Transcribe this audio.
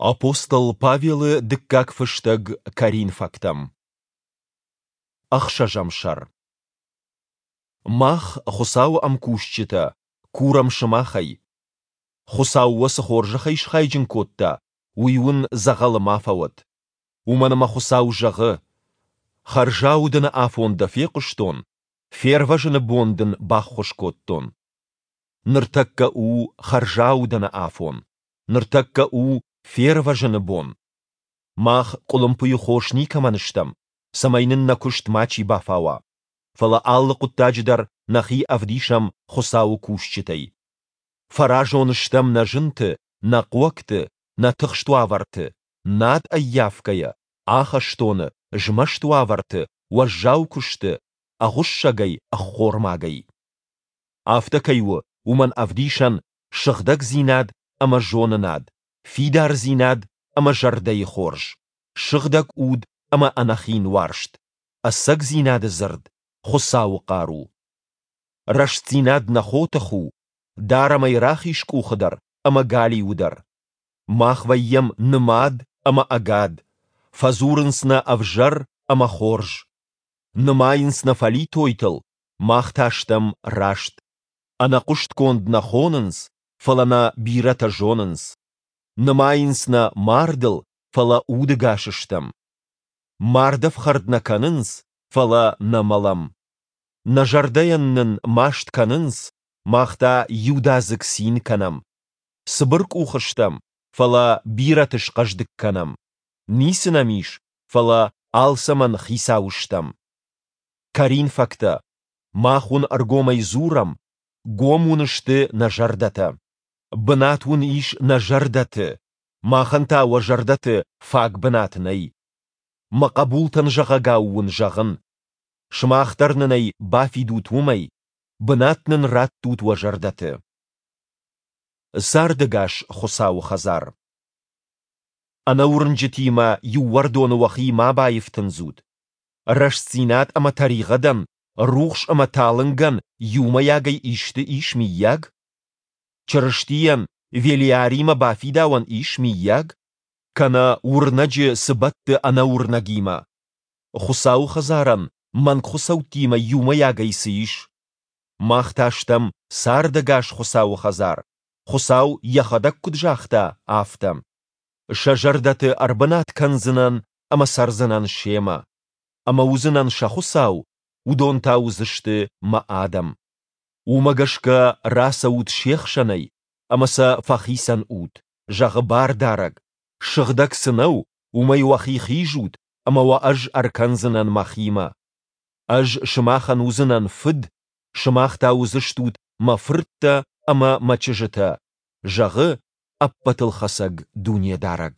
Апостол Павелы дыккаг фыстӕг Коринфӕгтӕм. Ӕхсӕзӕм сӕр. Мах, Хуыцауы ӕмкусджытӕ, курӕм сымахӕй. Хуыцау уӕ цы хорзӕхӕй схайджын кодта, уый уын дзӕгъӕлы ма фӕуӕд. Уымӕн ӕмӕ Хуыцау зӕгъы: Хӕрзаудӕны афон дӕ фехъуыстон, фервӕзыны бон дын баххуыс кодтон. Ныртӕккӕ у хӕрзаудӕны афон, ныртӕккӕ у фервӕзыны бон. Мах къуылымпыйы хос никӕмӕн стӕм, цӕмӕй нын нӕ куыст мачи бафауа. Фӕлӕ алы хъуыддаджы дӕр нӕхи ӕвдисӕм Хуыцауы кусджытӕй. Фӕразон стӕм нӕ зынты, нӕ хъуӕгты, нӕ тыхст уавӕрты, над ӕййафгӕйӕ, ахӕстоны, змӕст уавӕрты, уӕззау куысты, ӕгъуыссӕгӕй, ӕххормагӕй. Афтӕ кӕй у, уымӕн ӕвдисӕн сыгъдӕгдзинад ӕмӕ зонынад, фидардзинад ӕмӕ зӕрдӕйы хорз, сыгъдӕг уд ӕмӕ ӕнӕхин уарзт, ӕцӕгдзинады дзырд, Хуыцауы хъару. Рӕстдзинад нӕ хотых у, дарӕм ӕй рахиз къухы дӕр ӕмӕ галиуы дӕр. Мах вӕййӕм нымад ӕмӕ ӕгад, фӕдзурынц нӕ ӕвзӕр ӕмӕ хорз. Нымайынц нӕ фӕлитойтыл, мах та стӕм раст. Ӕнӕхъуыстгонд нӕ хонынц, фӕлӕ нӕ бирӕтӕ зонынц. Нымайынц нӕ мардыл, фӕлӕ удыгас стӕм. Мардӕфхӕрд нӕ кӕнынц, фӕлӕ нӕ мӕлӕм. Нӕ зӕрдӕйӕн нын маст кӕнынц, мах та иудадзыг цин кӕнӕм. Цыбыркъух стӕм, фӕлӕ бирӕты схъӕздыг кӕнӕм. Ницы нӕм ис, фӕлӕ алцӕмӕн хицау стӕм. Коринфӕгтӕ, мах уын ӕргомӕй дзурӕм, гом уын сты нӕ зӕрдӕтӕ. Бынат уын ис нӕ зӕрдӕты, махӕн та уӕ зӕрдӕты фаг бынат нӕй. Мӕ хъӕбултӕн зӕгъӕгау уын зӕгъын. Сымах дӕр нын ӕй бафидут уымӕй, бынат нын раттут уӕ зӕрдӕты. Цардӕгас Хуыцауы хӕдзар. Ӕнӕуырнджытимӕ иу уӕрдоны уӕхи ма баифтындзут. Рӕстдзинад ӕмӕ тӕригъӕдӕн, рухс ӕмӕ талынгӕн иумӕйагӕй исты ис, мыййаг? Чырыстийӕн Велиаримӕ бафидауӕн ис, мыййаг? Кӕнӕ уырнӕджы цы бӕтты ӕнӕуырнӕгимӕ? Хуыцауы хӕдзарӕн мӕнгхуыцӕуттимӕ иумӕйагӕй цы ис? Мах та стӕм цардӕгас Хуыцауы хӕдзар, Хуыцау йӕхӕдӕг куыд загъта, афтӕ. Сӕ зӕрдӕты ӕрбынат кӕндзынӕн ӕмӕ цӕрдзынӕн семӕ. Ӕмӕ уыдзынӕн сӕ Хуыцау, уыдон та уыдзысты мӕ адӕм. Уымӕ гӕсгӕ рацӕут се хсӕнӕй ӕмӕ сӕ фӕхицӕн ут, зӕгъы Бардарӕг, сыгъдӕг цы нӕу, уымӕй уӕхи хизут, ӕмӕ уӕ ӕз ӕркӕндзынӕн мӕхимӕ. Ӕз сымахӕн уыдзынӕн фыд, сымах та уыдзыстут мӕ фырттӕ ӕмӕ мӕ чызджытӕ, зӕгъы Ӕппӕтылхӕцӕг Дунедарӕг.